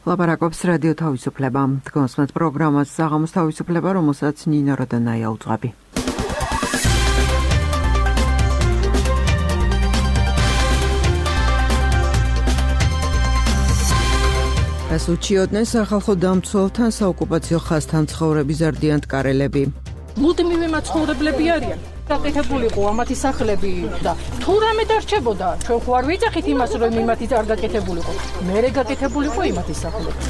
ლაპარაკობს რადიო თავისუფლება. დგომსმეთ პროგრამას საღამოს თავისუფლება, რომელსაც ნინო როდანაია უძღვები. რას უჩიოდნენ სახალხო დამცველთან საოკუპაციო ხაზთან ცხოვრები ზარდიან ტკარელები. მუდმივი მაცხოვრებლები არიან. გაკეთებულიყო ამათი სახლები და თუ რამე დარჩებოდა, ჩვენ ხო არ ვიძახით იმას, რომ იმათი არ გაკეთებულიყო. მერე გაკეთებულიყო იმათი სახლები.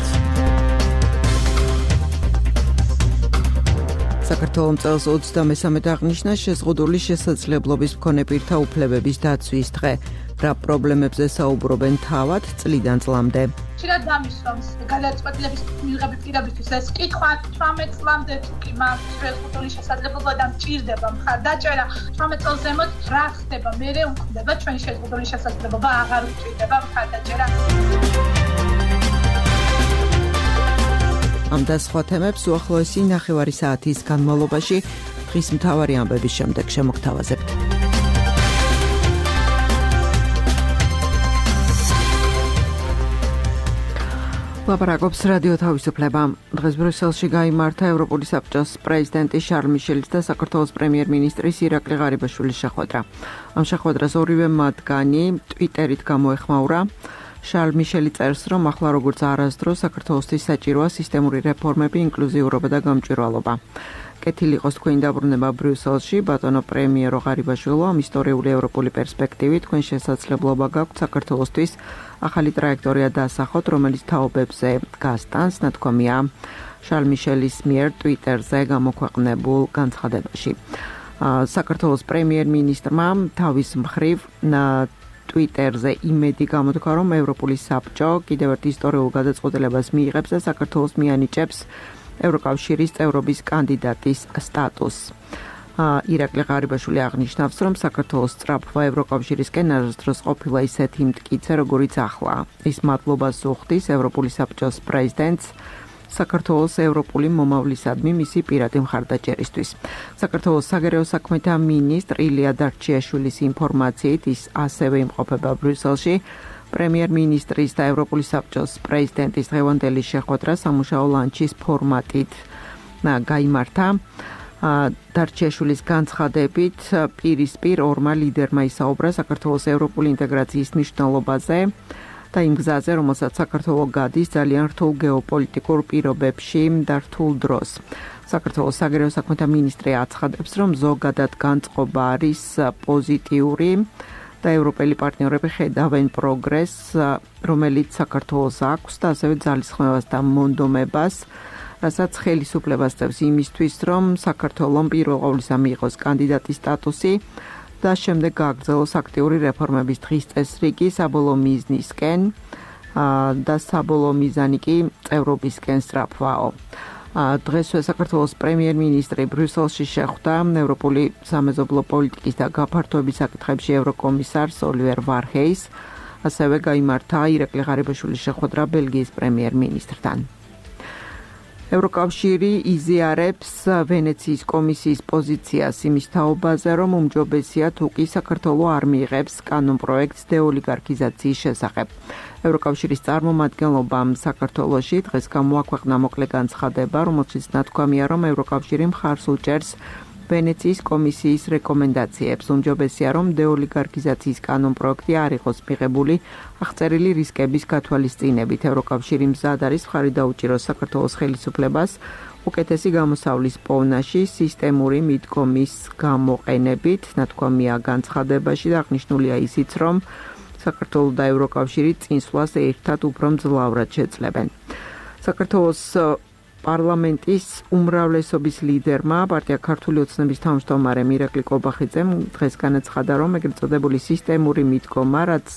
საქართველოს წელს 23 აღნიშნა შეზღუდული შესაძლებლობის მქონე პირთა უფლებების დაცვის დღე. რა პრობლემებზე საუბრობენ თავად წლიდან წლამდე. ხშირად დამისვამს გადაწყვეტილების მიღების პირებისთვის ეს კითხვა 18 წლამდე თუ კი მას შეზღუდული შესაძლებლობა და მჭირდება მხარდაჭერა 18 წელს ზემოთ რა ხდება მერე უქმდება ჩვენი შეზღუდული შესაძლებლობა აღარ უჭირდება მხარდაჭერა. ამ და სხვა თემებს უახლოესი ნახევარი საათის განმავლობაში დღის მთავარი ამბების შემდეგ შემოგთავაზებთ. ლაპარაკობს რადიო თავისუფლება. დღეს ბრიუსელში გაიმართა ევროპული საბჭოს პრეზიდენტის შარლ მიშელის და საქართველოს პრემიერ-მინისტრის ირაკლი ღარიბაშვილის შეხვედრა. ამ შეხვედრას ორივე მათგანი ტვიტერით გამოეხმაურა. შარლ მიშელი წერს, რომ ახლა როგორც არასდროს საქართველოსთვის საჭიროა სისტემური რეფორმები, ინკლუზიურობა და გამჭვირვალობა. კეთილი იყოს თქვენი დაბრუნება ბრიუსელში, ბატონო პრემიერო ღარიბაშვილო, ამ ისტორიული ევროპული პერსპექტივით თქვენ შესაძლებლობა გაქვთ საქართველოსთვის ახალი ტრაექტორია დასახოთ, რომელიც თაობებზე გასტანს, ნათქვამია შარლ მიშელის მიერ ტვიტერზე გამოქვეყნებულ განცხადებაში. საქართველოს პრემიერ-მინისტრმა თავის მხრივ ტვიტერზე იმედი გამოთქვა, რომ ევროპული საბჭო კიდევ ერთ ისტორიულ გადაწყვეტილებას მიიღებს და საქართველოს მიანიჭებს ევროკავშირის წევრობის კანდიდატის სტატუსს. ირაკლი ღარიბაშვილი აღნიშნავს, რომ საქართველოს სწრაფვა ევროკავშირისკენ არასდროს ყოფილა ისეთი მტკიცე, როგორიც ახლა. ის მადლობას უხდის ევროპული საბჭოს პრეზიდენტს საქართველოს ევროპული მომავლისადმი მისი პირადი მხარდაჭერისთვის. საქართველოს საგარეო საქმეთა მინისტრ ილია დარჩიაშვილის ინფორმაციით ის ასევე იმყოფება ბრიუსელში. პრემიერ-მინისტრის და ევროპული საბჭოს პრეზიდენტის დღევანდელი შეხვედრა სამუშაო ლანჩის ფორმატით გაიმართა. დარჩიაშვილის განცხადებით პირისპირ ორმა ლიდერმა ისაუბრა საქართველოს ევროპული ინტეგრაციის მნიშვნელობაზე და იმ გზაზე, რომელსაც საქართველოს გადის ძალიან რთულ გეოპოლიტიკურ პირობებში და რთულ დროს. საქართველოს საგარეო საქმეთა მინისტრი აცხადებს, რომ ზოგადად განწყობა არის პოზიტიური და ევროპელი პარტნიორები ხედავენ პროგრესს, რომელიც საქართველოს აქვს და ასევე ძალისხმევას და მონდომებას, რასაც ხელისუფლებას წევს იმისთვის, რომ საქართველოს პირველ ყოვლისა მიიღოს კანდიდატის სტატუსი და შემდეგ გააგრძელოს აქტიური რეფორმების დღის წესრიგი საბოლოო მიზნისკენ და საბოლოო მიზანი კი წევრობისკენ სწრაფვაო. დღესვე საქართველოს პრემიერ-მინისტრი ბრიუსელში შეხვდა ევროპული სამეზობლო პოლიტიკის და გაფართოების საკითხებში ევროკომისარს ოლივერ ვარჰეის, ასევე გაიმართა ირაკლი ღარიბაშვილის შეხვედრა ბელგიის პრემიერ-მინისტრთან. ევროკავშირი იზიარებს ვენეციის კომისიის პოზიციას იმის თაობაზე, რომ უმჯობესია თუ კი საქართველო არ მიიღებს კანონპროექტს დეოლიგარქიზაციის შესახებ. ევროკავშირის წარმომადგენლობამ საქართველოში დღეს გამოაქვეყნა მოკლე განცხადება, რომელშიც ნათქვამია, რომ ევროკავშირი მხარს უჭერს ვენეციის კომისიის რეკომენდაციებს. უმჯობესია, რომ დეოლიგარქიზაციის კანონპროექტი არ იყოს მიღებული აღწერილი რისკების გათვალისწინებით. ევროკავშირი მზად არის მხარი დაუჭიროს საქართველოს ხელისუფლებას უკეთესი გამოსავლის პოვნაში სისტემური მიდგომის გამოყენებით. ნათქვამია განცხადებაში და აღნიშნულია ისიც, რომ საქართველოს და ევროკავშირი წინსვლას ერთად უფრო მძლავრად შეძლებენ. საქართველოს პარლამენტის უმრავლესობის ლიდერმა პარტია ქართული ოცნების თავმჯდომარემ ირაკლი კობახიძემ დღეს განაცხადა, რომ ეგრეთ წოდებული სისტემური მიდგომა, რაც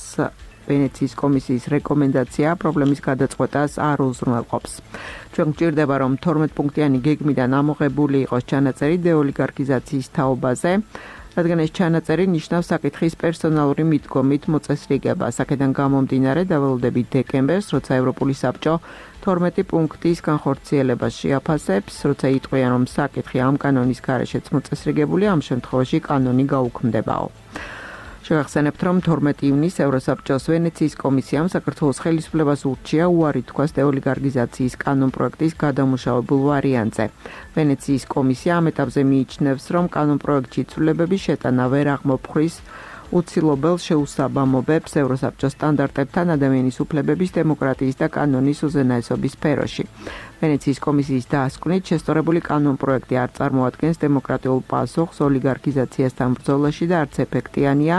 ვენეციის კომისიის რეკომენდაცია პრობლემის გადაწყვეტას არ უზრუნველყოფს. ჩვენ გვჭირდება, რომ 12 პუნქტიანი გეგმიდან ამოღებული იყოს ჩანაწერი დეოლიგარქიზაციის თაობაზე, რადგან ეს ჩანაწერი ნიშნავს საკითხის პერსონალური მიდგომით მოწესრიგებას. აქედან გამომდინარე დავალდებით დეკემბერს, როცა ევროპული საბჭო 12 პუნქტის განხორციელებას შეაფასებს, როცა იტყვიან, რომ საკითხი ამ კანონის გარეშეც მოწესრიგებულია, ამ შემთხვევაში კანონი გაუქმდებაო. შევახსენებთ, რომ 12 ივნისს ევროსაბჭოს ვენეციის კომისიამ საქართველოს ხელისუფლებას ურჩია უარი თქვას დეოლიგარქიზაციის კანონპროექტის გადამუშავებულ ვარიანტზე. ვენეციის კომისია ამ ეტაპზე მიიჩნევს, რომ კანონპროექტში ცვლილებების შეტანა ვერ აღმოფხვრის უცილობელ შეუსაბამობებს ევროსაბჭოს სტანდარტებთან ადამიანის უფლებების, დემოკრატიის და კანონის უზენაესობის სფეროში. ვენეციის კომისიის დასკვნით შესწორებული კანონპროექტი არ წარმოადგენს დემოკრატიულ პასუხს ოლიგარქიზაციასთან ბრძოლაში და არც ეფექტიანია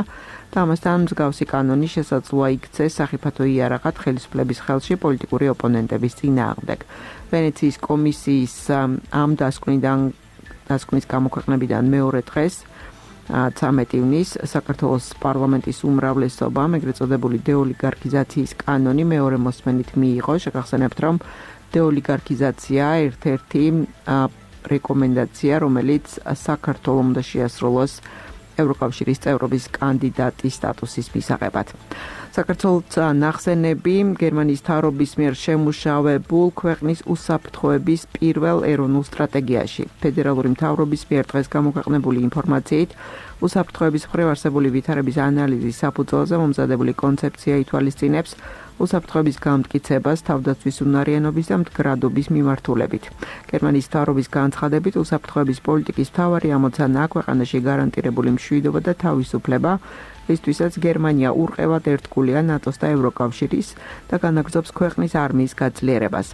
და ამასთან მსგავსი კანონი შესაძლოა იქცეს სახიფათო იარაღად ხელისუფლების ხელში პოლიტიკური ოპონენტების წინააღმდეგ. ვენეციის კომისიის ამ დასკვნის გამოქვეყნებიდან მეორე დღეს 13 ივნისს საქართველოს პარლამენტის უმრავლესობამ ეგრეთ წოდებული დეოლიგარქიზაციის კანონი მეორე მოსმენით მიიღო. შეგახსენებთ, რომ დეოლიგარქიზაცია ერთ-ერთი რეკომენდაცია, რომელიც საქართველოს უნდა შეასრულოს ევროკავშირის წევრობის კანდიდატის სტატუსის მისაღებად. საქართველოს ნახსენები გერმანიის მთავრობის მიერ შემუშავებულ ქვეყნის უსაფრთხოების პირველ ეროვნულ სტრატეგიაში. ფედერალური მთავრობის მიერ დღეს გამოქვეყნებული ინფორმაციით უსაფრთხოების მხრივ არსებული ვითარების ანალიზის საფუძველზე მომზადებული კონცეფცია ითვალისწინებს უსაფრთხოების გამტკიცებას თავდაცვის უნარიანობის და მდგრადობის მიმართულებით. გერმანიის მთავრობის განცხადებით უსაფრთხოების პოლიტიკის მთავარი ამოცანაა ქვეყანაში გარანტირებული მშვიდობა და თავისუფლება, რისთვისაც გერმანია ურყევად ერთგულია ნატოს და ევროკავშირის და განაგრძობს ქვეყნის არმიის გაძლიერებას.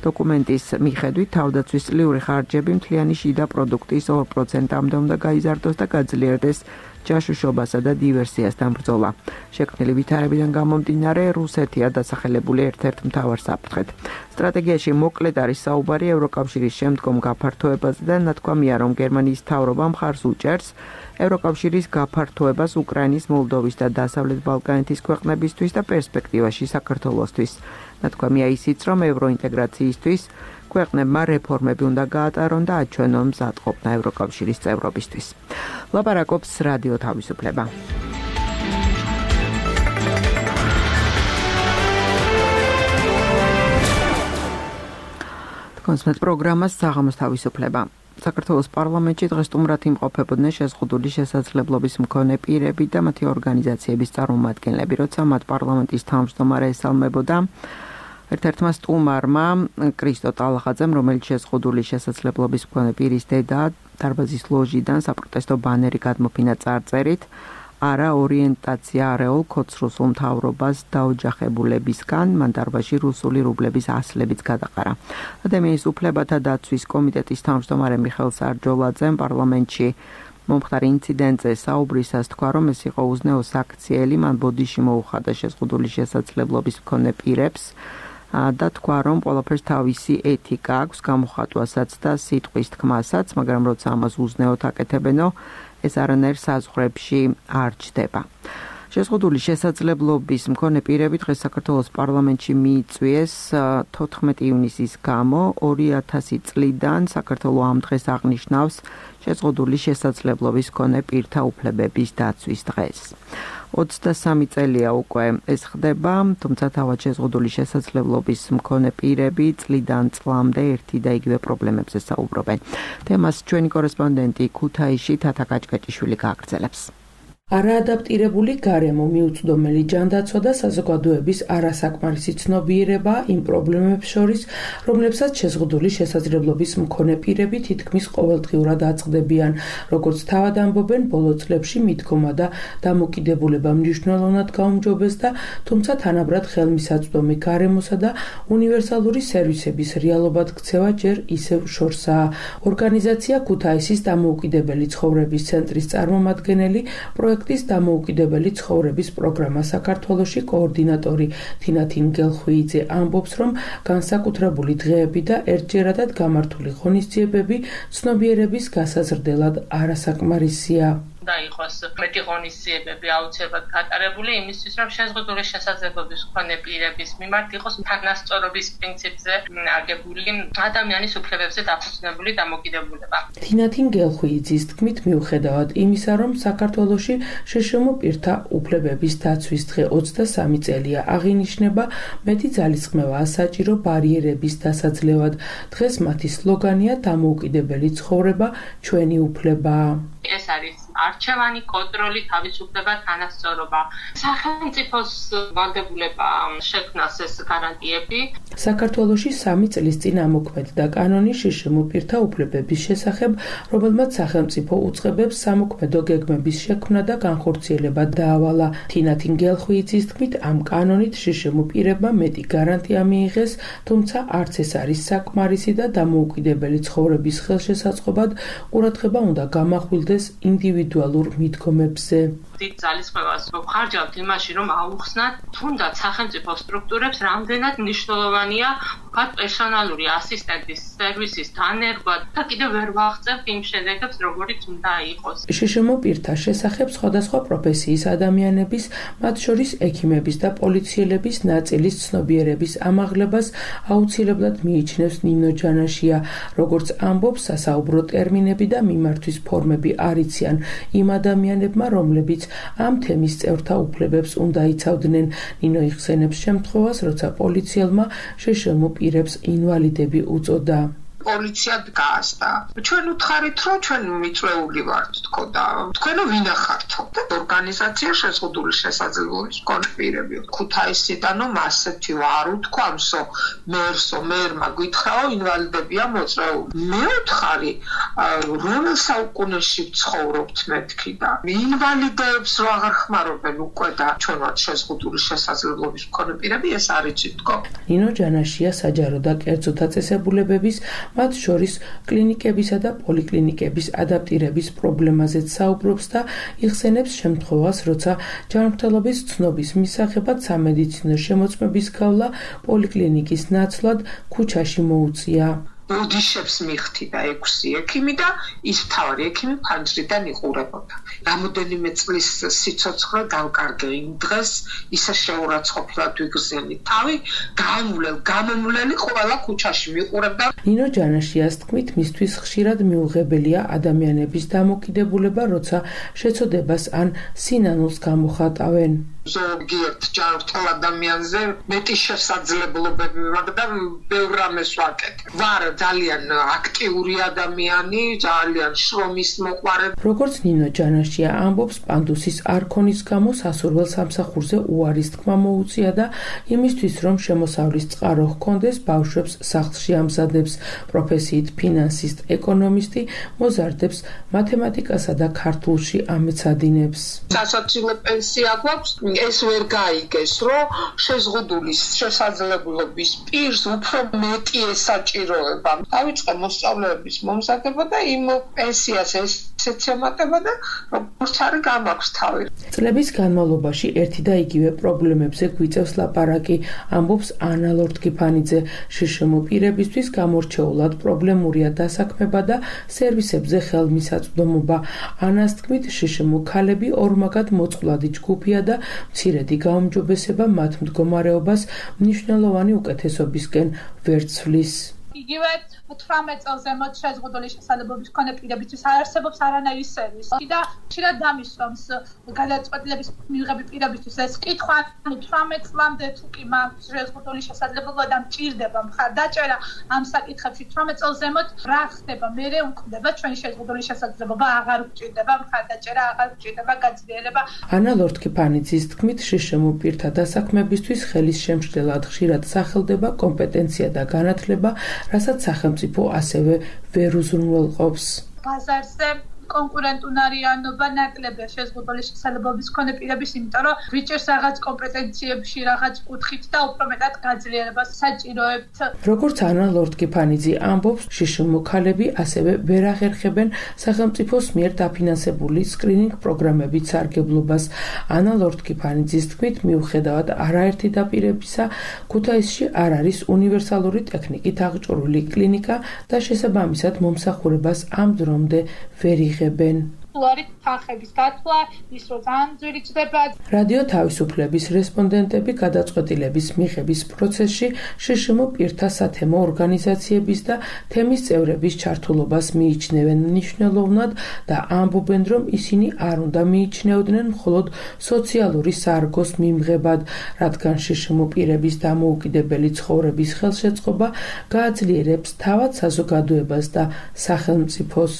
დოკუმენტის მიხედვით თავდაცვის წლიური ხარჯები მთლიანი შიდა პროდუქტის 2%-მდე უნდა გაიზარდოს და გაძლიერდეს ჯაშუშობასა და დივერსიასთან ბრძოლა. შექმნილი ვითარებიდან გამომდინარე, რუსეთია დასახელებული ერთ-ერთ მთავარ საფრთხედ. სტრატეგიაში მოკლედ არის საუბარი ევროკავშირის შემდგომ გაფართოებაზე და ნათქვამია, რომ გერმანიის მთავრობა მხარს უჭერს ევროკავშირის გაფართოებას უკრაინის, მოლდოვის და დასავლეთ ბალკანეთის ქვეყნებისთვის და პერსპექტივაში საქართველოსთვის. ნათქვამია ისიც, რომ ევროინტეგრაციისთვის ქვეყნებმა რეფორმები უნდა გაატარონ და აჩვენონ მზადყოფნა ევროკავშირის წევრობისთვის. ლაპარაკობს რადიო თავისუფლება. კონსმეთ პროგრამას საღამოს თავისუფლება. საქართველოს პარლამენტში დღეს სტუმრად იმყოფებოდნენ შეზღუდული შესაძლებლობის მქონე პირები და მათი ორგანიზაციების წარმომადგენლები, როცა მათ პარლამენტის თავმჯდომარე ესალმებოდა ერთ-ერთმა სტუმარმა კრისტო ტალახაძემ, რომელიც შეზღუდული შესაძლებლობის მქონე პირის დედა, დარბაზის ლოჟიდან საპროტესტო ბანერი გადმოფინა წარწერით არა ორიენტაცია არეულ ქოც-რუსულ მთავრობას დაოჯახებულებისგან, მან დარბაზში რუსული რუბლების ასლებიც გადაყარა. ადამიანის უფლებათა დაცვის კომიტეტის თავმჯდომარე მიხეილ სარჯოლაძემ პარლამენტში მომხდარი ინციდენტზე საუბრისას თქვა, რომ ეს იყო უზნეო საქციელი, მან ბოდიში მოუხადა შეზღუდული შესაძლებლობის მქონე პირებს და თქვა, რომ ყველაფერს თავისი ეთიკა აქვს, გამოხატვასაც და სიტყვის თქმასაც, მაგრამ როცა ამას უზნეოდ აკეთებენო, ეს არანაირ საზღვრებში არ ჩდება. შეზღუდული შესაძლებლობის მქონე პირები დღეს საქართველოს პარლამენტში მიიწვიეს 14 ივნისის გამო 2000 წლიდან საქართველო ამ დღეს აღნიშნავს შეზღუდული შესაძლებლობის მქონე პირთა უფლებების დაცვის დღეს. 23 წელია უკვე ეს ხდება, თუმცა თავად შეზღუდული შესაძლებლობის მქონე პირები წლიდან წლამდე ერთი და იგივე პრობლემებზე საუბრობენ. თემას ჩვენი კორესპონდენტი ქუთაისში თათა კაჭკაჭიშვილი გააგრძელებს. არაადაპტირებული გარემო, მიუწვდომელი ჯანდაცვა და საზოგადოების არასაკმარისი ცნობიერება იმ პრობლემებს შორის, რომლებსაც შეზღუდული შესაძლებლობის მქონე პირები თითქმის ყოველდღიურად აწყდებიან, როგორც თავად ამბობენ, ბოლო წლებში მიდგომა და დამოკიდებულება მნიშვნელოვნად გაუმჯობესდა, თუმცა თანაბრად ხელმისაწვდომი გარემოსა და უნივერსალური სერვისების რეალობად ქცევა ჯერ ისევ შორსაა. ორგანიზაცია ქუთაისის დამოუკიდებელი ცხოვრების ცენტრის წარმომადგენელი პროექტის დამოუკიდებელი ცხოვრების პროგრამა საქართველოში კოორდინატორი თინათინ გელხვიიძე ამბობს, რომ განსაკუთრებული დღეები და ერთჯერადად გამართული ღონისძიებები ცნობიერების გასაზრდელად არასაკმარისია. და იყოს მეტი ღონისძიებები აუცილებლად გატარებული იმისთვის, რომ შეზღუდული შესაძლებლობის მქონე პირების მიმართ იყოს თანასწორობის პრინციპზე აგებული ადამიანის უფლებებზე დაფუძნებული დამოკიდებულება. თინათინ გელხვიიძის თქმით, მიუხედავად იმისა, რომ საქართველოში შშმ პირთა უფლებების დაცვის დღე 23 წელია აღინიშნება, მეტი ძალისხმევაა საჭირო ბარიერების დასაძლევად. დღეს მათი სლოგანია დამოუკიდებელი ცხოვრება, ჩვენი უფლება. ეს არის არჩევანი, კონტროლი, თავისუფლება, თანასწორობა. სახელმწიფოს ვალდებულება შექმნას ეს გარანტიები. საქართველოში 3 წლის წინ ამოქმედდა კანონი შშმ პირთა უფლებების შესახებ, რომელმაც სახელმწიფო უწყებებს სამოქმედო გეგმების შექმნა და განხორციელება დაავალა. თინათინ გელხვიძის თქმით, ამ კანონით შშმ პირებმა მეტი გარანტია მიიღეს, თუმცა არც ეს არის საკმარისი და დამოუკიდებელი ცხოვრების ხელშესაწყობად ყურადღება უნდა გამახვილდეს ინდივიდუალურ მიდგომებზე. დიდ ძალისხმევას ვხარჯავთ იმაში, რომ აუხსნათ თუნდაც სახელმწიფო სტრუქტურებს რამდენად მნიშვნელოვანია პერსონალური ასისტენტის სერვისის დანერგვა და კიდევ ვერ ვაღწევთ იმ შედეგებს, როგორიც უნდა იყოს. შშმ პირთა შესახებ სხვადასხვა პროფესიის ადამიანების, მათ შორის ექიმების და პოლიციელების ნაწილის ცნობიერების ამაღლებას აუცილებლად მიიჩნევს ნინო ჯანაშია. როგორც ამბობს, სასაუბრო ტერმინები და მიმართვის ფორმები არ იციან იმ ადამიანებმა, რომლებიც ამ თემის წევრთა უფლებებს უნდა იცავდნენ. ნინო იხსენებს შემთხვევას, როცა პოლიციელმა შშმ პირებს ინვალიდები უწოდა. პოლიცია დგას და ჩვენ უთხარით, რომ ჩვენ მიწვეული ვართ, თქო და თქვენო ვინახართო და ორგანიზაცია შეზღუდული შესაძლებლობის მქონე პირები. ქუთაისიდანო ასეთი ვარ უთქვამსო, მერმა გითხრაო ინვალიდებია მოწვეული. მე ვთხარი, რომელ საუკუნეში ვცხოვრობთ მეთქი და ინვალიდებს რო აღარ ხმარობენ უკვე და ჩვენ ვართ შეზღუდული შესაძლებლობის მქონე პირები, ეს არ იცით თქო. ნინო ჯანაშია საჯარო და კერძო დაწესებულებების მათ შორის კლინიკებისა და პოლიკლინიკების ადაპტირების პრობლემაზეც საუბრობს და იხსენებს შემთხვევას, როცა ჯანმრთელობის ცნობის მისაღებად სამედიცინო შემოწმების გავლა პოლიკლინიკის ნაცვლად ქუჩაში მოუწია. ოდიშებს მიხთი და 6 ექიმი და ის მთავარი ექიმი ფანჯრიდან იყურებოდა. რამოდენიმე წლის სიცოცხლე გავკარგე იმ დღეს, ისე შეურაცხყოფილად ვიგრძენი თავი, გამომვლელი ყველა ქუჩაში მიყურებდა. ნინო ჯანაშიას თქმით, მისთვის ხშირად მიუღებელია ადამიანების დამოკიდებულება, როცა შეცოდებას ან სინანულს გამოხატავენ. ზოგიერთ ჯანმრთელ ადამიანზე მეტი შესაძლებლობები მაქვს და ბევრ რამეს ვაკეთებ. ვარ ძალიან აქტიური ადამიანი, ძალიან შრომის მოყვარე. როგორც ნინო ჯანაშია ამბობს, პანდუსის არქონის გამო სასურველ სამსახურზე უარის თქმა მოუწია და იმისთვის, რომ შემოსავლის წყარო ჰქონდეს, ბავშვებს სახლში ამზადებს. პროფესიით ფინანსისტ, ეკონომისტი, მოზარდებს მათემატიკასა და ქართულში ამეცადინებს. სასაცილო პენსია გვაქვს, ეს ვერ გაიგეს, რომ შეზღუდული შესაძლებლობის პირს უფრო მეტი ესაჭიროება. დავიწყე მოსწავლეების მომზადება და იმ პენსიას ესეც ემატება და როგორც არის გამაქვს თავი. წლების განმავლობაში ერთი და იგივე პრობლემებზე გვიწევს ლაპარაკი, ამბობს ანა ლორთქიფანიძე. შშმ პირებისთვის გამორჩეულად პრობლემურია დასაქმება და სერვისებზე ხელმისაწვდომობა. ანას თქმით, შშმ ქალები ორმაგად მოწყვლადი ჯგუფია და მცირედი გაუმჯობესება მათ მდგომარეობას მნიშვნელოვანი უკეთესობისკენ ვერ ცვლის. იგივე 18 წელს ზემოთ შეზღუდული შესაძლებლობის მქონე პირებისთვის არ არსებობს არანაირი სერვისი და ხშირად დამისვამს გადაწყვეტილების მიღები პირებისთვის ეს კითხვა 18 წლამდე თუ კი მაქვს შეზღუდული შესაძლებლობა და მჭირდება მხარდაჭერა ამ საკითხებში 18 წელს ზემოთ რა ხდება მე უნდა ჩვენი შეზღუდული შესაძლებლობა აღარ გჭირდება მხარდაჭერა აღარ გჭირდება გაძლიერება. ანა ლორთქიფანიძის თქმით, შშმ პირთა დასაქმებისთვის ხელის შემშლელად ხშირად სახელდება კომპეტენცია და განათლება, რასაც სახელმწიფო ასევე ვერ უზრუნველყოფს. ბაზარზე კონკურენტუნარიანობა ნაკლებია შეზღუდული შესაძლებლობის მქონე პირების, იმიტომ რომ ვიჭერს რაღაც კომპეტენციებში, რაღაც კუთხით და უფრო მეტად გაძლიერებას საჭიროებთ. როგორც ანა ლორთქიფანიძე ამბობს, შშმ ქალები ასევე ვერ აღერხებენ სახელმწიფოს მიერ დაფინანსებული სკრინინგ პროგრამებით სარგებლობას. ანა ლორთქიფანიძის თქმით, მიუხედავად არაერთი დაპირებისა, ქუთაისში არ არის უნივერსალური ტექნიკით აღჭურვილი კლინიკა და შესაბამისად მომსახურებას ამ დრომდე ვერ იღებენ. არის თანხების დათვლა, ის რომ ძალიან ძვირი ჩდება. რადიო თავისუფლების რესპონდენტები გადაწყვეტილების მიღების პროცესში შშმ პირთა სათემო ორგანიზაციების და თემის წევრების ჩართულობას მიიჩნევენ მნიშვნელოვნად და ამბობენ, რომ ისინი არ უნდა მიიჩნეოდნენ მხოლოდ სოციალური სარგოს მიმღებად, რადგან შშმ პირების დამოუკიდებელი ცხოვრების ხელშეწყობა გააძლიერებს თავად საზოგადოებას და სახელმწიფოს.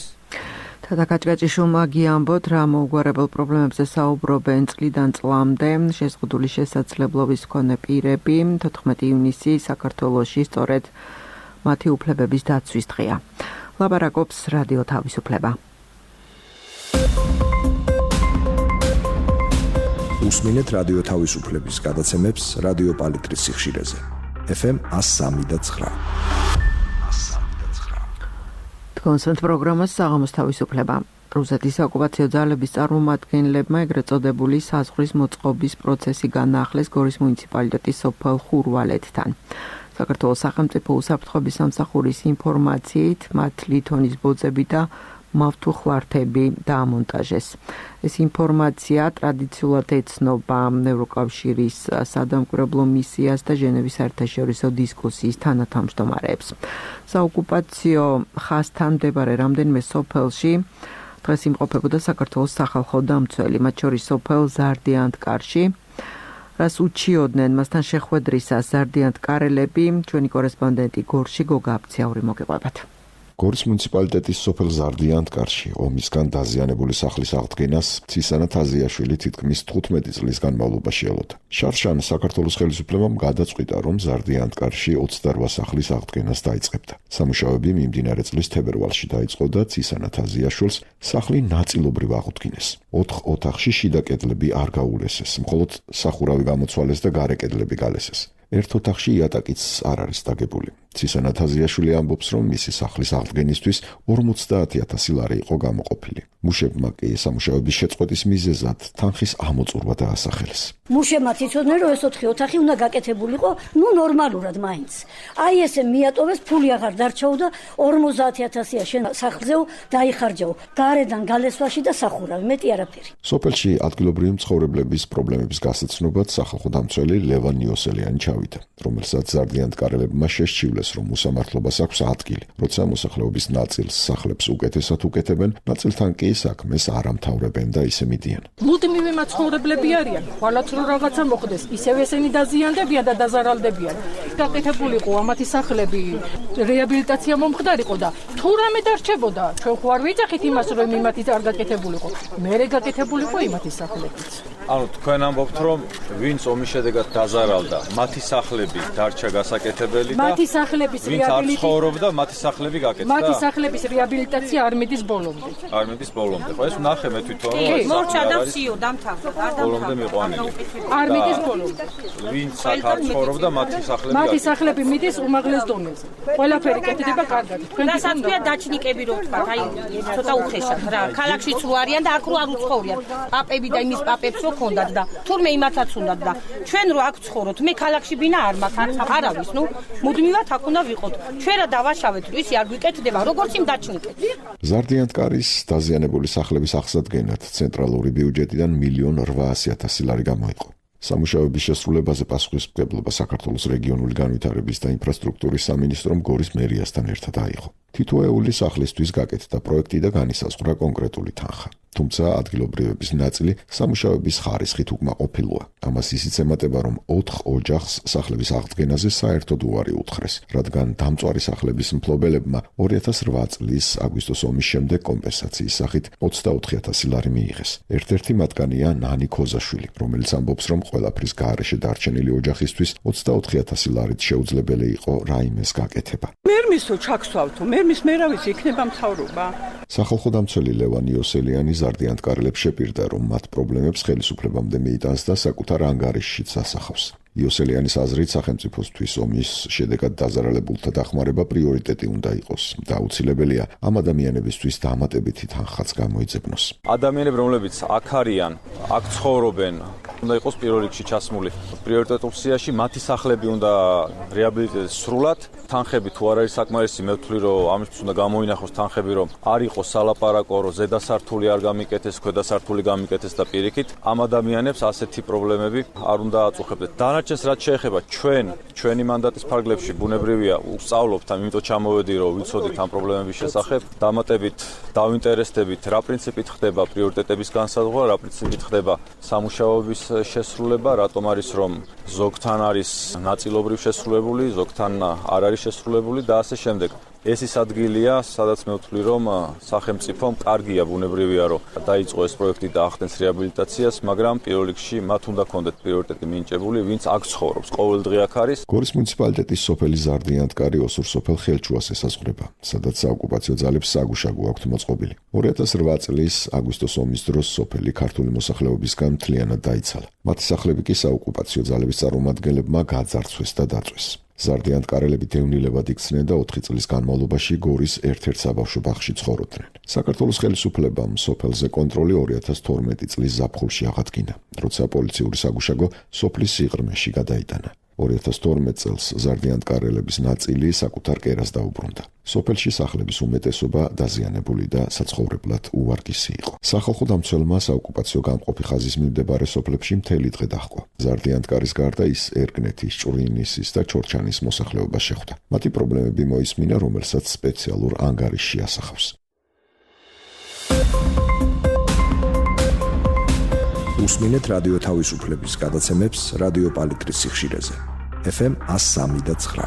თადაკაჭკაჭიშვილმა გიამბოთ, რა მოუგვარებელ პრობლემებზე საუბრობენ წლიდან წლამდე შეზღუდული შესაძლებლობის მქონე პირები. 14 ივნისი საქართველოში სწორედ მათი უფლებების დაცვის დღეა. ლაპარაკობს რადიო თავისუფლება. უსმინეთ რადიო თავისუფლების გადაცემებს რადიო პალიტრის სიხშირეზე. FM 103.9. კონსერტ პროგრამას საღამოს თავისუფლება. რუსეთის ოკუპაციო ძალების წარმომადგენლებმა ეგრეთ წოდებული საზღვრის მოწყობის პროცესი განაახლეს გორის მუნიციპალიტეტის სოფელ ხურვალეთთან. საქართველოს სახელმწიფო უსაფრთხოების სამსახურის ინფორმაციით მათ ლითონის ბოძები და მავთუხვართები დაამონტაჟეს. ეს ინფორმაცია ტრადიციულად ეცნობა ევროკავშირის სადამკვირვებლო მისიას და ჟენევის საერთაშორისო დისკუსიის თანათავმჯდომარეებს. საოკუპაციო ხაზთან მდებარე რამდენიმე სოფელში დღეს იმყოფებოდა საქართველოს სახალხო დამცველი, მათ შორის სოფელ ზარდიანთკარში, რას უჩიოდნენ მასთან შეხვედრისას ზარდიანთკარელები. ჩვენი კორესპონდენტი გორში გოგა აბციაური მოგიყვებათ. გორის მუნიციპალიტეტის სოფელ ზარდიანთკარში ომისგან დაზიანებული სახლის აღდგენას ცისანა თაზიაშვილი თითქმის 15 წლის განმავლობაში ელოდა. შარშან საქართველოს ხელისუფლებამ გადაწყვიტა, რომ ზარდიანთკარში 28 სახლის აღდგენას დაიწყებდა. სამუშაოები მიმდინარე წლის თებერვალში დაიწყო და ცისანა თაზიაშვილს სახლი ნაწილობრივ აღუდგინეს. 4 ოთახში შიდა კედლები არ გაულესეს, მხოლოდ სახურავი გამოცვალეს და გარე კედლები გალესეს. ერთ ოთახში იატაკიც არ არის დაგებული. ცისანა თაზიაშვილი ამბობს, რომ მისი სახლის აღდგენისთვის 50,000 ლარი იყო გამოყოფილი. მუშებმა კი სამუშაოების შეწყვეტის მიზეზად თანხის ამოწურვა დაასახელეს. მუშებმა იცოდნენ, რომ ეს 4 ოთახი უნდა გაკეთებულიყო, ნორმალურად მაინც. აი ესე მიატოვეს, ფული აღარ დარჩაო და 50,000-ია შენ სახლზეო დაიხარჯაო. გარედან გალესვაში და სახურავი, მეტი არაფერი. სოფელში ადგილობრივი მცხოვრებლების პრობლემების გასაცნობად სახალხო დამცველი ლევან იოსელიანი ჩავიდა, რომელსაც ზარდიანთკარელებმა შესჩივლეს, რომ უსამართლობას აქვს ადგილი, როცა მოსახლეობის ნაწილს სახლებს უკეთესად უკეთებენ, ნაწილთან კი საქმეს არ ამთავრებენ და ისე მიდიან. მუდმივი მაცხოვრებლები არიან, ხვალაც რო რაღაცა მოხდეს, ისევ ესენი დაზიანდებიან და დაზარალდებიან. გაკეთებულიყო ამათი სახლები, რეაბილიტაცია მომხდარიყო და თუ რამე დარჩებოდა, ჩვენ ხო არ ვიძახით იმას, რომ იმათი არ გაკეთებულიყო. მერე გაკეთებულიყო იმათი სახლებიც. ანუ თქვენ ამბობთ, რომ ვინც ომის შედეგად დაზარალდა, მათი სახლები დარჩა გასაკეთებელი და მათი სახლების რეაბილიტაცია ცხოვრობდა, მათი სახლები გაკეთდა. მათი სახლების რეაბილიტაცია არ მიდის ბოლომდე. არ მიდის ბოლომდე. ხო ეს ვნახე მე თვითონ, რომ მორჩა და ვსიო დამთავრდა, არ დამთავრდა. ბოლომდე მიყვანილი. არ მიდის ბოლომდე. ვინც აქ ცხოვრობდა, მათი სახლები გაკეთდა. მათი სახლები მიდის უმაღლეს დონეზე. ყველაფერი კეთდება კარგად. თქვენ გასაცვია დაჩნიკები რო თქვა, აი ცოტა უხეშად რა. ქალაქშიც რო არიან და აქ რო არ უცხოვრიან. პაპები და იმის პაპებს რო ქონდათ და თურმე იმათაც უნდათ და ჩვენ რო აქ ცხოვრობთ, მე ქალაქში ბინა არ მაქვს, არავის, მუდმივად აქ უნდა ვიყოთ. ჩვენ რა დავაშავეთ, ისი არ გვიკეთდება, როგორც იმ დაჩნიკეთ. ზარდიანთკარის დაზიანებული სახლების აღსადგენად ცენტრალური ბიუჯეტიდან 1,800,000 ლარი გამოიყო. სამუშაოების შესრულებაზე პასუხისმგებლობა საქართველოს რეგიონული განვითარების და ინფრასტრუქტურის სამინისტრომ გორის მერიასთან ერთად აიღო. თითოეული სახლისთვის გაკეთდა პროექტი და განისაზღვრა კონკრეტული თანხა. თუმცა ადგილობრივების ნაწილი სამუშაოების ხარისხით უკმაყოფილოა. ამას ისიც ემატება, რომ 4 ოჯახს სახლების აღდგენაზე საერთოდ უარი უთხრეს, რადგან დამწვარი სახლების მფლობელებმა 2008 წლის აგვისტოს ომის შემდეგ კომპენსაციის სახით 24,000 ლარი მიიღეს. ერთ-ერთი მათგანია ნანი ქოზაშვილი, რომელიც ამბობს, რომ ყველაფრის გარეშე დარჩენილი ოჯახისთვის 24,000 ლარით შეუძლებელი იყო რაიმეს გაკეთება. მერმისო ჩაქსვავთო, მერმის მერავის იქნება მთავრობა. სახალხო დამცველი ლევან იოსელიანი ზარდიანთკარელებს შეპირდა, რომ მათ პრობლემებს ხელისუფლებამდე მიიტანს და საკუთარ ანგარიშშიც ასახავს. იოსელიანის აზრით სახელმწიფოსთვის ომის შედეგად დაზარალებულთა დახმარება პრიორიტეტი უნდა იყოს და აუცილებელია ამ ადამიანებისთვის დამატებითი თანხაც გამოიძებნოს. ადამიანები, რომლებიც აქ არიან, აქ ცხოვრობენ, უნდა იყოს პირველ რიგში ჩასმული პრიორიტეტულ სიაში, მათი სახლები უნდა რეაბილიტირდეს სრულად. თანხები თუ არ არის საკმარისი, მე ვთვლი, რომ ამისთვის უნდა გამოინახოს თანხები, რომ არ იყოს სალაპარაკო, რომ ზედა სართული არ გამიკეთეს, ქვედა სართული გამიკეთეს და პირიქით ამ ადამიანებს ასეთი პრობლემები არ უნდა აწუხებდეს. დანარჩენს რაც შეეხება ჩვენი მანდატის ფარგლებში ბუნებრივია ვსწავლობთ, ამიტომ ჩამოვედი, რომ ვიცოდით ამ პრობლემების შესახებ, დამატებით დავინტერესდებით, რა პრინციპით ხდება პრიორიტეტების განსაზღვრა, რა პრინციპით ხდება სამუშაოების შესრულება, რატომ არის რომ ზოგთან არის ნაწილობრივ შესრულებული, ზოგთან არ არის შესრულებული და ასე შემდეგ. ეს ის ადგილია, სადაც მე ვთვლი, რომ სახელმწიფომ კარგია, ბუნებრივია, რომ დაიწყო ეს პროექტი და ახდენს რეაბილიტაციას, მაგრამ პირველ რიგში მათ უნდა ქონდეთ პრიორიტეტი მინიჭებული, ვინც აქ ცხოვრობს, ყოველდღე აქ არის. გორის მუნიციპალიტეტის სოფელი ზარდიანთკარი ოსურ სოფელ ხელჩუას ესაზღვრება, სადაც საოკუპაციო ძალებს საგუშაგო აქვთ მოწყობილი. 2008 წლის აგვისტოს ომის დროს სოფელი ქართული მოსახლეობისგან მთლიანად დაიცალა. მათი სახლები კი საოკუპაციო ძალების წარმომადგენლებმა გაძარცვეს და დაწვეს. ზარდიანთკარელები დევნილებად იქცნენ და 4 წლის განმავლობაში გორის ერთ-ერთ საბავშვო ბაღში ცხოვრობდნენ. საქართველოს ხელისუფლებამ სოფელზე კონტროლი 2012 წლის ზაფხულში აღადგინა, როცა პოლიციური საგუშაგო სოფლის სიღრმეში გადაიტანა. 2012 წელს ზარდიანთკარელების ნაწილი საკუთარ კერას დაუბრუნდა. სოფელში სახლების უმეტესობა დაზიანებული და საცხოვრებლად უვარგისი იყო. სახალხო დამცველმა საოკუპაციო გამყოფი ხაზის მიმდებარე სოფლებში მთელი დღე დაჰყვა. ზარდიანთკარის გარდა ის ერგნეთის, ჭვრინისის და ჩორჩანის მოსახლეობას შეხვდა. მათი პრობლემები მოისმინა, რომელსაც სპეციალურ ანგარიშში ასახავს. უსმინეთ რადიო თავისუფლების გადაცემებს რადიო პალიტრის სიხშირეზე. FM 103.9.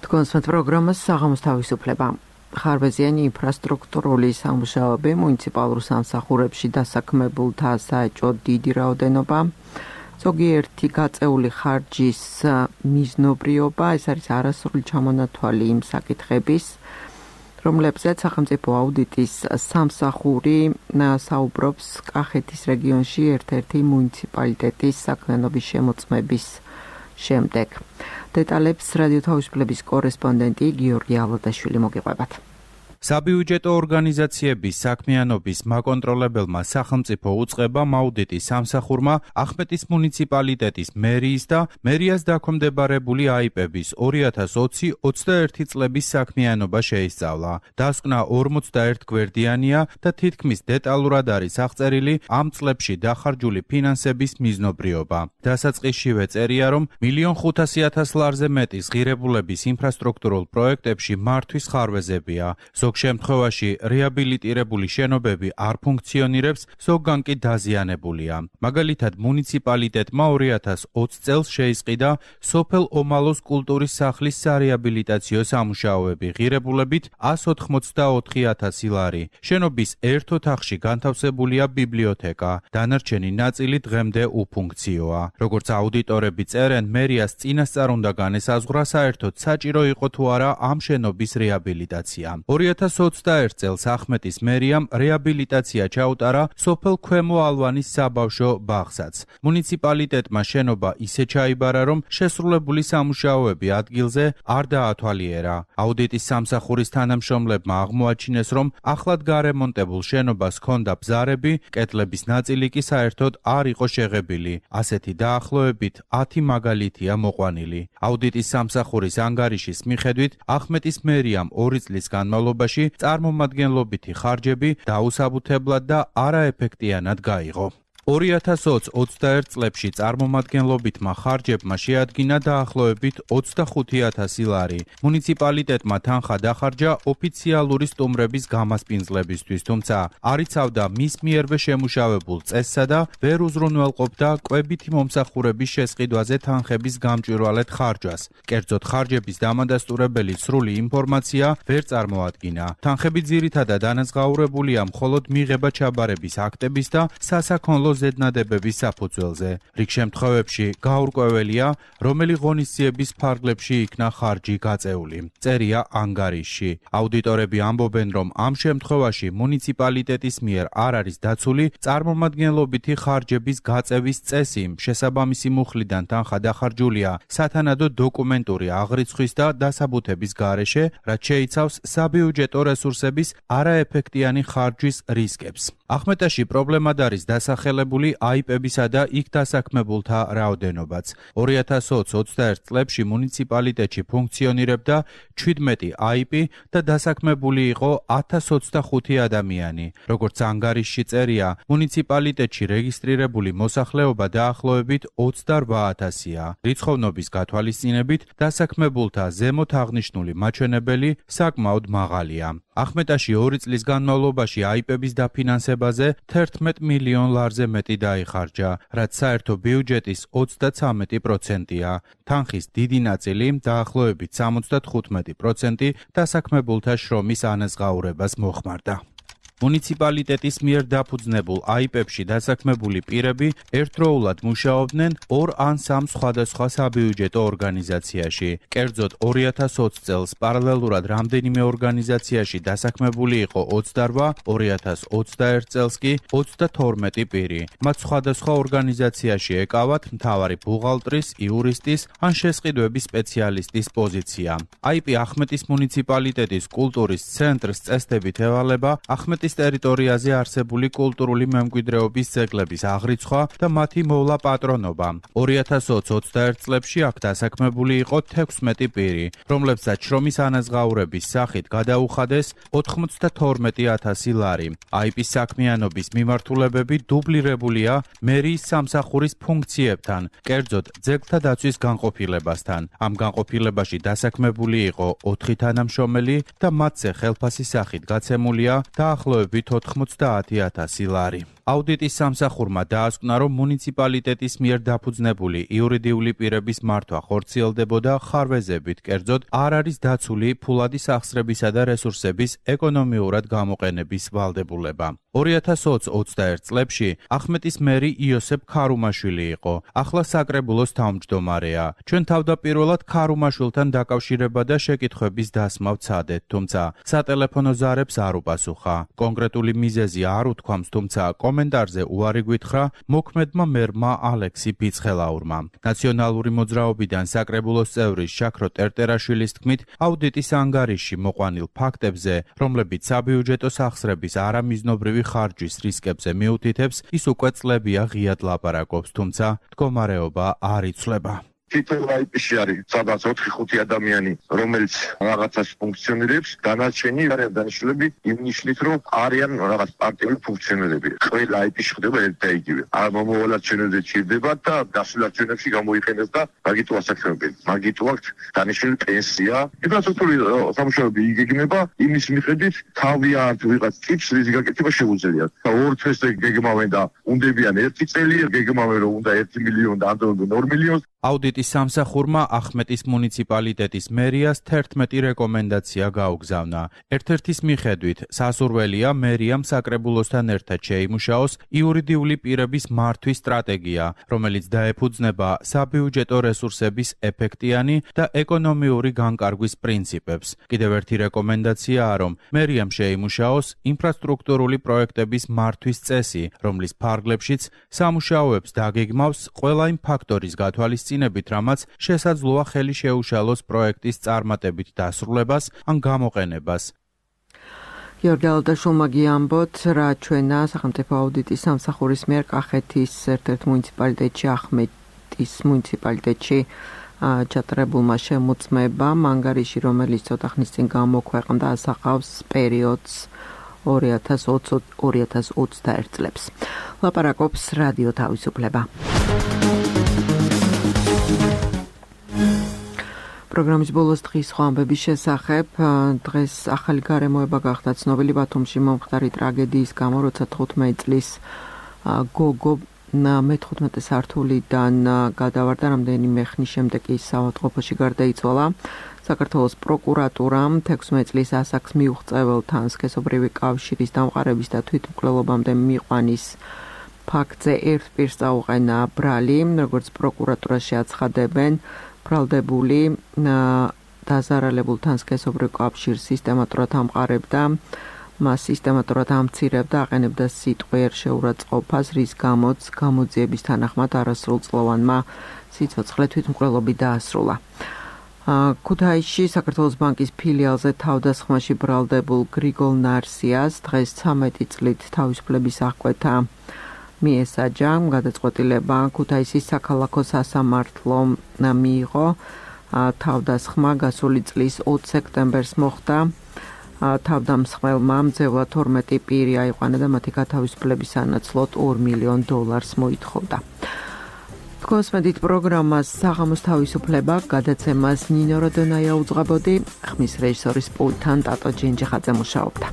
თქვენს პროგრამას საღამოს თავისუფლება. ხარვეზიანი ინფრასტრუქტურული სამუშაოები მუნიციპალურ სამსახურებში დასაქმებულთა საეჭვო დიდი რაოდენობა, ზოგიერთი გაწეული ხარჯის მიზნობრიობა, ეს არის არასრული ჩამონათვალი იმ საკითხების, რომლებზეც სახელმწიფო აუდიტის სამსახური საუბრობს კახეთის რეგიონში ერთ-ერთი მუნიციპალიტეტის საქმიანობის შემოწმების შემდეგ. დეტალებს რადიო თავისუფლების კორესპონდენტი გიორგი ალოდაშვილი მოგიყვებათ. საბიუჯეტო ორგანიზაციების საქმიანობის მაკონტროლებელმა სახელმწიფო უწყებამ აუდიტის სამსახურმა ახმეტის მუნიციპალიტეტის მერიის და მერიას დაქვემდებარებული აიპების 2020-21 წლების საქმიანობა შეისწავლა. დასკვნა 41 გვერდიანია და თითქმის დეტალურად არის აღწერილი ამ წლებში დახარჯული ფინანსების მიზნობრიობა. დასაწყისშივე წერია, რომ 1,500,000 ლარზე მეტის ღირებულების ინფრასტრუქტურულ პროექტებში მართვის ხარვეზებია. ზოგ შემთხვევაში რეაბილიტირებული შენობები არ ფუნქციონირებს, ზოგან კი დაზიანებულია. მაგალითად, მუნიციპალიტეტმა 2020 წელს შეისყიდა სოფელ ომალოს კულტურის სახლის სარეაბილიტაციო სამუშაოები ღირებულებით 184,000 ლარი. შენობის ერთ ოთახში განთავსებულია ბიბლიოთეკა, დანარჩენი ნაწილი დღემდე უფუნქციოა. როგორც აუდიტორები წერენ, მერიას წინასწარ უნდა განესაზღვრა საერთოდ საჭირო იყო თუ არა ამ შენობის რეაბილიტაცია. 2021 წელს ახმეტის მერიამ რეაბილიტაცია ჩაუტარა სოფელ ქვემო ალვანის საბავშვო ბაღსაც. მუნიციპალიტეტმა შენობა ისე ჩაიბარა, რომ შესრულებული სამუშაოები ადგილზე არ დაათვალიერა. აუდიტის სამსახურის თანამშრომლებმა აღმოაჩინეს, რომ ახლად გარემონტებულ შენობას ჰქონდა ბზარები, კედლების ნაწილი კი საერთოდ არ იყო შეღებილი. ასეთი დაახლოებით 10 მაგალითია მოყვანილი. აუდიტის სამსახურის ანგარიშის მიხედვით, ახმეტის მერიამ 2 წლის განმავლობაში წარმომადგენლობითი ხარჯები დაუსაბუთებლად და არაეფექტიანად გაიღო. 2021 წლებში წარმომადგენლობითმა ხარჯებმა შეადგინა დაახლოებით 25,000 ლარი. მუნიციპალიტეტმა თანხა დახარჯა ოფიციალური სტუმრების გამასპინძლებისთვის, თუმცა არ იცავდა მის მიერვე შემუშავებულ წესსა და ვერ უზრუნველყოფდა კვებითი მომსახურების შესყიდვაზე თანხების გამჭვირვალედ ხარჯვას. კერძოდ, ხარჯების დამადასტურებელი სრული ინფორმაცია ვერ წარმოადგინა. თანხები ძირითადად დანაზღაურებულია მხოლოდ მიღება-ჩაბარების აქტების და სასაქონლო ზედნადებების საფუძველზე. რიგ შემთხვევებში გაურკვეველია, რომელი ღონისძიების ფარგლებში იქნა ხარჯი გაწეული. წერია ანგარიშში. აუდიტორები ამბობენ, რომ ამ შემთხვევაში მუნიციპალიტეტის მიერ არ არის დაცული წარმომადგენლობითი ხარჯების გაწევის წესი, შესაბამისი მუხლიდან თანხა დახარჯულია სათანადო დოკუმენტური აღრიცხვის და დასაბუთების გარეშე, რაც შეიცავს საბიუჯეტო რესურსების არაეფექტიანი ხარჯვის რისკებს. ახმეტაში პრობლემად არის დასახელებული აიპებისა და იქ დასაქმებულთა რაოდენობაც. 2021 წლებში მუნიციპალიტეტში ფუნქციონირებდა 17 აიპი და დასაქმებული იყო 1025 ადამიანი. როგორც ანგარიშში წერია, მუნიციპალიტეტში რეგისტრირებული მოსახლეობა დაახლოებით 28,000-ია. რიცხოვნობის გათვალისწინებით დასაქმებულთა ზემოთ აღნიშნული მაჩვენებელი საკმაოდ მაღალია. ახმეტაში 2 წლის განმავლობაში აიპების დაფინანსებაზე 11 მილიონ ლარზე მეტი დაიხარჯა, რაც საერთო ბიუჯეტის 33%-ია. თანხის დიდი ნაწილი, დაახლოებით 75% დასაქმებულთა შრომის ანაზღაურებას მოხმარდა. მუნიციპალიტეტის მიერ დაფუძნებულ აიპებში დასაქმებული პირები ერთდროულად მუშაობდნენ 2 ან 3 სხვადასხვა საბიუჯეტო ორგანიზაციაში. კერძოდ 2020 წელს პარალელურად რამდენიმე ორგანიზაციაში დასაქმებული იყო 28, 2021 წელს კი 32 პირი. მათ სხვადასხვა ორგანიზაციაში ეკავათ მთავარი ბუღალტრის, იურისტის ან შესყიდვების სპეციალისტის პოზიცია. აიპი ახმეტის მუნიციპალიტეტის კულტურის ცენტრს წესდებით ევალება ახმეტის ტერიტორიაზე არსებული კულტურული მემკვიდრეობის ძეგლების აღრიცხვა და მათი მოვლა პატრონობა. 2021 წლებში აქ დასაქმებული იყო 16 პირი, რომლებსაც შრომის ანაზღაურების სახით გადაუხადეს 92,000 ლარი. აიპის საქმიანობის მიმართულებები დუბლირებულია მერიის სამსახურის ფუნქციებთან, კერძოდ ძეგლთა დაცვის განყოფილებასთან. ამ განყოფილებაში დასაქმებული იყო 4 თანამშრომელი და მათზე ხელფასის სახით გაცემულია დაახლოებით 90,000 ლარი. აუდიტის სამსახურმა დაასკვნა, რომ მუნიციპალიტეტის მიერ დაფუძნებული იურიდიული პირების მართვა ხორციელდებოდა ხარვეზებით, კერძოდ არ არის დაცული ფულადი სახსრებისა და რესურსების ეკონომიურად გამოყენების ვალდებულება. 2021 წლებში ახმეტის მერი იოსებ ქარუმაშვილი იყო, ახლა საკრებულოს თავმჯდომარეა. ჩვენ თავდაპირველად ქარუმაშვილთან დაკავშირება და შეკითხვების დასმა ვცადეთ, თუმცა სატელეფონო ზარებს არ უპასუხა. კონკრეტული მიზეზი არ უთქვამს, თუმცა კომენტარზე უარი გვითხრა მოქმედმა მერმა ალექსი ბიცხელაურმა. ნაციონალური მოძრაობიდან საკრებულოს წევრი შაქრო ტერტერაშვილის თქმით, აუდიტის ანგარიში მოყვანილ ფაქტებზე, რომლებიც საბიუჯეტო სახსრების არამიზნობრივი ხარჯვის რისკებზე მიუთითებს, ის უკვე წლებია ღიად ლაპარაკობს, თუმცა მდგომარეობა არ იცვლება. თითოეულ აიპში არის სადაც 4-5 ადამიანი, რომელიც რაღაცას ფუნქციონირებს, დანარჩენი არიან დანიშნულები იმ ნიშნით, რომ არიან რაღაც პარტიული ფუნქციონერები. ყველა აიპში ხდება ერთ და იგივე. მომავალად ჩვენებზე ჭირდება და დასავლეთ ჩვენებში გამოიყენეს და მაგიტო ასაკრებენ. მაგიტო აქვს დანიშნული პენსია. ინფრასტრუქტურული სამუშაოები იგეგმება იმის მიხედვით, თავიანთ ვიღაც ტიპს რის გაკეთება შეუძლიათ. და ორ თვეს გეგმავენ და უნდებიან 1 წელი, გეგმავენ რომ უნდა 1 მილიონი და ამდენად 2 მილიონს. აუდიტის სამსახურმა ახმეტის მუნიციპალიტეტის მერიას 11 რეკომენდაცია გაუგზავნა. ერთ-ერთის მიხედვით, სასურველია მერიამ საკრებულოსთან ერთად შეიმუშაოს იურიდიული პირების მართვის სტრატეგია, რომელიც დაეფუძნება საბიუჯეტო რესურსების ეფექტიანი და ეკონომიური განკარგვის პრინციპებს. კიდევ ერთი რეკომენდაციაა, რომ მერიამ შეიმუშაოს ინფრასტრუქტურული პროექტების მართვის წესი, რომლის ფარგლებშიც სამუშაოებს დაგეგმავს ყველა იმ ფაქტორის გათვალისწინებით, რამაც შესაძლოა ხელი შეუშალოს პროექტის წარმატებით დასრულებას ან გამოყენებას. გიორგი ალდაშულმა გიამბოთ, რა ჩვენა სახელმწიფო აუდიტის სამსახურის მიერ კახეთის ერთ-ერთ მუნიციპალიტეტში, ახმეტის მუნიციპალიტეტში ჩატარებულმა შემოწმებამ, ანგარიში, რომელიც ცოტა ხნის წინ გამოქვეყნდა, ასახავს პერიოდს 2020-2021 წლებს. ლაპარაკობს რადიო თავისუფლება. პროგრამის ბოლოს დღის სხვა ამბების შესახებ. დღეს ახალი გარემოება გახდა ცნობილი ბათუმში მომხდარი ტრაგედიის გამო, როცა 15 წლის გოგო მე-15 სართულიდან გადავარდა, რამდენიმე ხნის შემდეგ ის საავადმყოფოში გარდაიცვალა. საქართველოს პროკურატურამ 16 წლის ასაკს მიუღწეველთან სქესობრივი კავშირის დამყარების და თვითმკვლელობამდე მიყვანის ფაქტზე ერთ პირს წაუყენა ბრალი, როგორც პროკურატურაში აცხადებენ. ბრალდებული დაზარალებულთან სქესობრივ კავშირს სისტემატურად ამყარებდა, მას სისტემატურად ამცირებდა, აყენებდა სიტყვიერ შეურაცხყოფას, რის გამოც გამოძიების თანახმად არასრულწლოვანმა სიცოცხლე თვითმკვლელობით დაასრულა. ქუთაისში საქართველოს ბანკის ფილიალზე თავდასხმაში ბრალდებულ გრიგოლ ნარსიას დღეს 13 წლით თავისუფლების აღკვეთა მიესაჯა. გადაწყვეტილება ქუთაისის საქალაქო სასამართლო მიიღო. თავდასხმა გასული წლის 20 სექტემბერს მოხდა. თავდამსხმელმა მძევლად 12 პირი აიყვანა და მათი გათავისუფლების სანაცვლოდ $2 მილიონ მოითხოვდა. თქოსმედით პროგრამას საღამოს თავისუფლება გადაცემას ნინო როდონაია უძღვებოდი, ხმის რეჟისორის პულტთან ტატო ჯინჯიხაძე მუშაობდა.